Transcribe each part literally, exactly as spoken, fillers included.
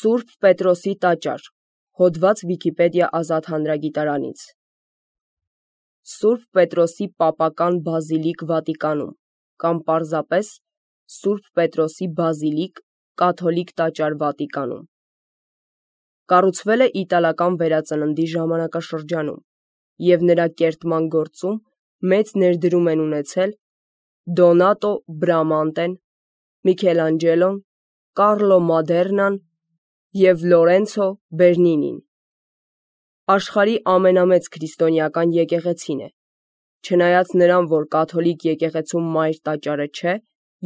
Սուրբ Պետրոսի տաճար, հոդված Վիկիպեդիա ազատ հանրագիտարանից։ Սուրբ Պետրոսի պապական բազիլիկ Վատիկանում, կամ պարզապես Սուրբ Պետրոսի բազիլիկ կաթոլիկ տաճար Վատիկանում։ Կառուցվել է իտալական վերածննդի ժամանակաշրջանում և նրա կերտման գործում մեծ ներդրում են ունեցել Դոնատո Բրամանտեն, Միքելանջելոն, Կարլո Մադեռնան և Լորենցո Բերնինին։ Աշխարհի ամենամեծ քրիստոնեական եկեղեցին է, չնայած նրան, որ կաթոլիկ եկեղեցու մայր տաճարը չէ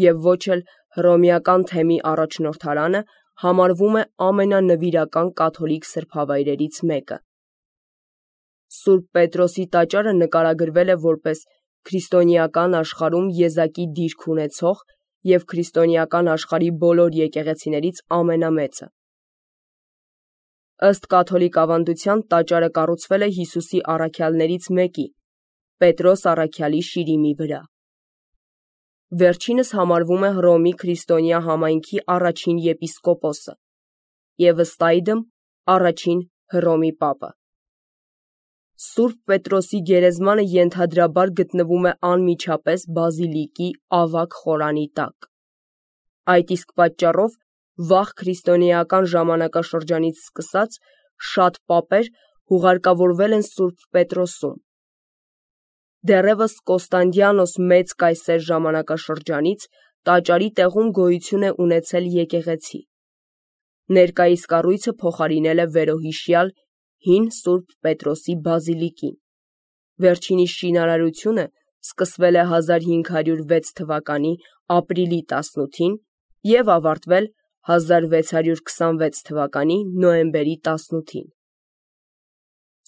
և ոչ էլ հռոմեական թեմի առաջնորդարանը, համարվում է ամենանվիրական կաթոլիկ սրբավայրերից մեկը։ Սուրբ Պետրոսի տաճարը նկարագրվել է որպես քրիստոնեական աշխարհում եզակի դիրք ունեցող և քրիստոնեական աշխարհի բոլոր եկեղեցիներից ամենամեծը։ Ըստ կաթոլիկ ավանդության տաճարը կառուցվել է Հիսուսի առաքյալներից մեկի՝ Պետրոս առաքյալի շիրիմի վրա։ Վերջինս համարվում է Հռոմի քրիստոնյա համայնքի առաջին եպիսկոպոսը և ըստ այդմ առաջին Հռոմի պապը։ Սուրբ Պետրոսի գերեզմանը ենթադրաբար գտնվում է անմիջապես բազիլիկի ավագ խորանի տակ։ Այդ իսկ պատճառով վաղ քրիստոնեական ժամանակաշրջանից սկսած շատ պապեր հուղարկավորվել են Սուրբ Պետրոսում։ Դեռևս Կոստանդիանոս Մեծ կայսեր ժամանակաշրջանից տաճարի տեղում գոյություն է ունեցել եկեղեցի։ Ներկայիս կառույցը փոխարինել է վերոհիշյալ հին Սուրբ Պետրոսի բազիլիկին։ Վերջինիս շինարարությունը սկսվել է հազար հինգ հարյուր վեց թվականի ապրիլի տասնութին և ավարտվել հազար վեց հարյուր քսանվեց թվականի նոյեմբերի տասնութին։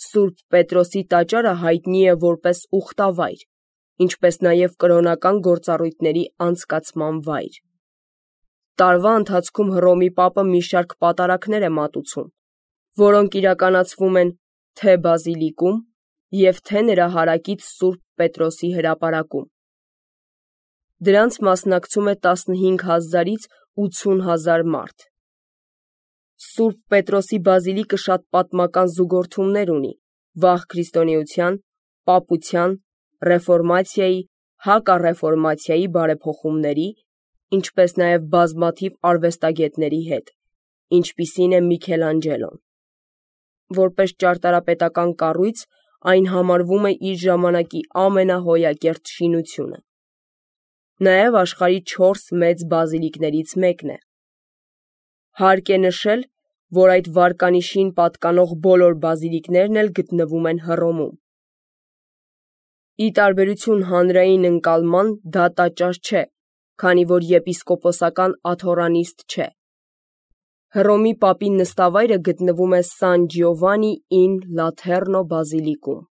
Սուրբ Պետրոսի տաճարը հայտնի է որպես ուխտավայր, ինչպես նաև կրոնական գործառույթների անցկացման վայր։ Տարվա ընթացքում Հռոմի պապը մի շարք պատարագներ է մատուցում, որոնք իրականացվում են թե բազիլիկում և թե նրա հարակից Սուրբ Պետրոսի հրապարակում։ Դրանց մասնակցում է տասնհինգ հազարից ութսուն հազար մարդ։ Սուրբ Պետրոսի բազիլիկը շատ պատմական զուգորդումներ ունի վաղ քրիստոնեության, պապության, ռեֆորմացիայի, հակառեֆորմացիայի բարեփոխումների, ինչպես նաև բազմաթիվ արվեստագետների հետ, ինչպիսին է Միքելանջելոն։ Որպես ճարտարապետական կառույց, այն համարվում է իր ժամանակի ամենահոյակերտ շինությունը։ Նաև աշխարհի չորս մեծ բազիլիկներից մեկն է։ Հարկ է նշել, որ այդ վարկանիշին պատկանող բոլոր բազիլիկներն էլ գտնվում են Հռոմում։ Ի տարբերություն հանրային ընկալման, դա տաճար չէ, քանի որ եպիսկոպոսական աթոռանիստ չէ։ Հռոմի պապի նստավայրը գտնվում է Սան Ջիովանի ին Լաթեռնո բազիլիկում։